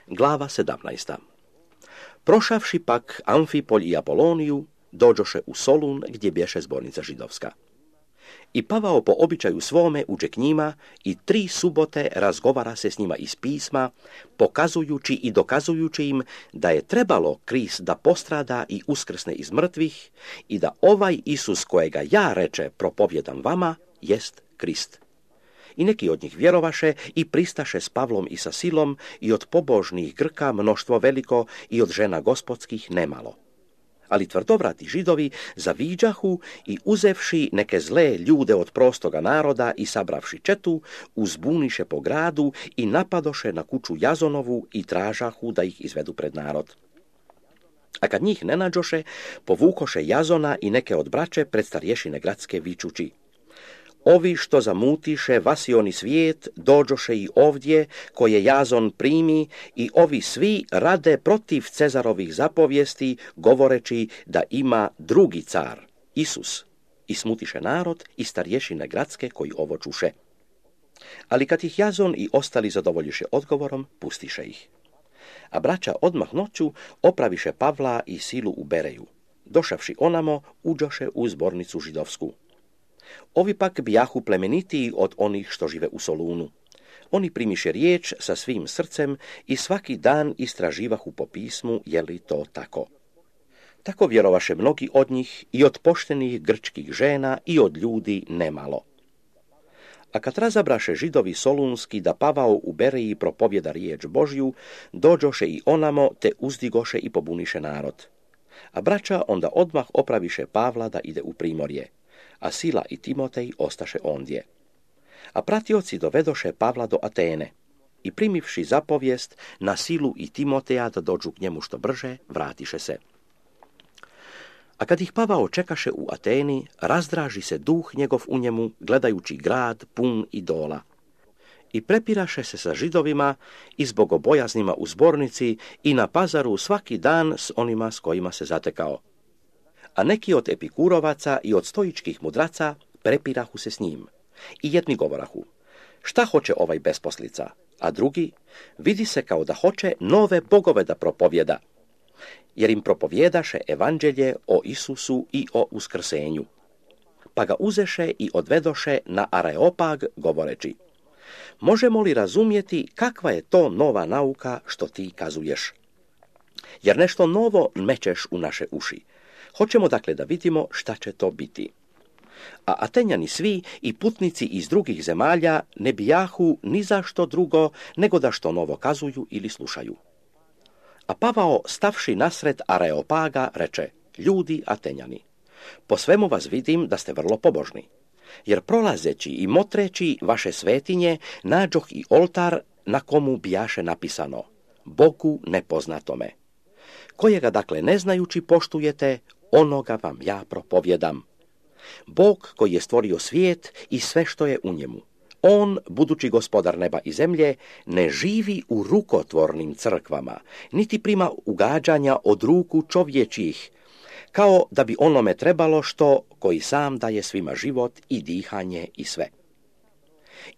Glava 17. Prošavši pak Amfipolj i Apoloniju, dođoše u Solun gdje bješe zbornica židovska. I Pavao po običaju svome uđe k njima i 3 subote razgovara se s njima iz pisma, pokazujući i dokazujući im da je trebalo Krist da postrada i uskrsne iz mrtvih i da ovaj Isus kojega ja reče propovjedam vama jest Krist. I neki od njih vjerovaše i pristaše s Pavlom i sa Silom i od pobožnih Grka mnoštvo veliko i od žena gospodskih nemalo. Ali tvrdovrati Židovi zaviđahu i uzevši neke zle ljude od prostoga naroda i sabravši četu, uzbuniše po gradu i napadoše na kuću Jazonovu i tražahu da ih izvedu pred narod. A kad njih ne nađoše, povukoše Jazona i neke od braće pred starješine gradske vičući: Ovi što zamutiše vasioni svijet, dođoše i ovdje, koje Jazon primi, i ovi svi rade protiv Cezarovih zapovijesti, govoreći da ima drugi car, Isus. I smutiše narod i starješine gradske koji ovo čuše. Ali kad ih Jazon i ostali zadovoljiše odgovorom, pustiše ih. A braća odmah noću opraviše Pavla i Silu u Bereju. Došavši onamo, uđoše u zbornicu židovsku. Ovi pak bijahu plemenitiji od onih što žive u Solunu. Oni primiše riječ sa svim srcem i svaki dan istraživahu po pismu je li to tako. Tako vjerovaše mnogi od njih i od poštenih grčkih žena i od ljudi nemalo. A kad razabraše Židovi solunski da Pavao u Bereji propovjeda riječ Božju, dođoše i onamo te uzdigoše i pobuniše narod. A braća onda odmah opraviše Pavla da ide u primorje, a Sila i Timotej ostaše ondje. A pratioci dovedoše Pavla do Atene i primivši zapovijest na Silu i Timoteja da dođu k njemu što brže, vratiše se. A kad ih Pavao čekaše u Ateni, razdraži se duh njegov u njemu, gledajući grad pun idola. I prepiraše se sa Židovima i s bogobojaznima u zbornici i na pazaru svaki dan s onima s kojima se zatekao. A neki od epikurovaca i od stoičkih mudraca prepirahu se s njim. I jedni govorahu: šta hoće ovaj besposlica? A drugi: vidi se kao da hoće nove bogove da propovjeda. Jer im propovjedaše evanđelje o Isusu i o uskrsenju. Pa ga uzeše i odvedoše na Areopag, govoreći: možemo li razumjeti kakva je to nova nauka što ti kazuješ? Jer nešto novo mečeš u naše uši. Hoćemo dakle da vidimo šta će to biti. A Atenjani svi i putnici iz drugih zemalja ne bijahu ni za što drugo nego da što novo kazuju ili slušaju. A Pavao, stavši nasred Areopaga, reče: ljudi Atenjani, po svemu vas vidim da ste vrlo pobožni, jer prolazeći i motreći vaše svetinje nađoh i oltar na komu bijaše napisano: Bogu nepoznatome, kojega dakle ne znajući poštujete, onoga vam ja propovjedam. Bog koji je stvorio svijet i sve što je u njemu, on, budući gospodar neba i zemlje, ne živi u rukotvornim crkvama, niti prima ugađanja od ruku čovječjih, kao da bi onome trebalo što koji sam daje svima život i dihanje i sve.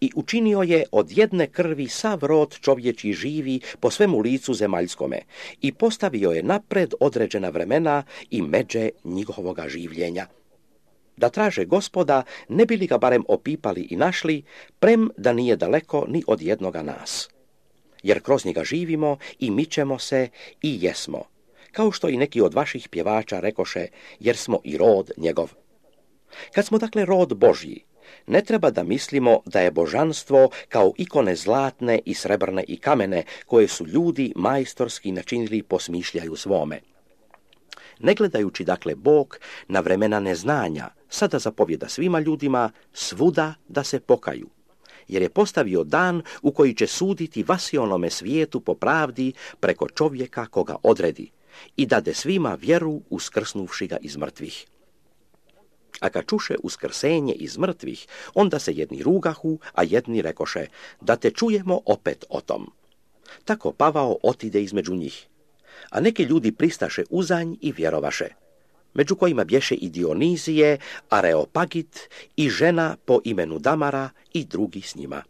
I učinio je od jedne krvi sav rod čovječji živi po svemu licu zemaljskome i postavio je napred određena vremena i međe njihovoga življenja. Da traže Gospoda, ne bi li ga barem opipali i našli, prem da nije daleko ni od jednoga nas. Jer kroz njega živimo i mičemo se i jesmo, kao što i neki od vaših pjevača rekoše, jer smo i rod njegov. Kad smo dakle rod Božji, ne treba da mislimo da je božanstvo kao ikone zlatne i srebrne i kamene, koje su ljudi majstorski načinili po smišljaju svome. Ne gledajući dakle Bog na vremena neznanja, sada zapovjeda svima ljudima svuda da se pokaju, jer je postavio dan u koji će suditi vasionome svijetu po pravdi preko čovjeka koga odredi i dade svima vjeru uskrsnuvši ga iz mrtvih. A kad čuše uskrsenje iz mrtvih, onda se jedni rugahu, a jedni rekoše: da te čujemo opet o tom. Tako Pavao otide između njih. A neki ljudi pristaše uzanj i vjerovaše, među kojima bješe i Dionizije, Areopagit i žena po imenu Damara i drugi s njima.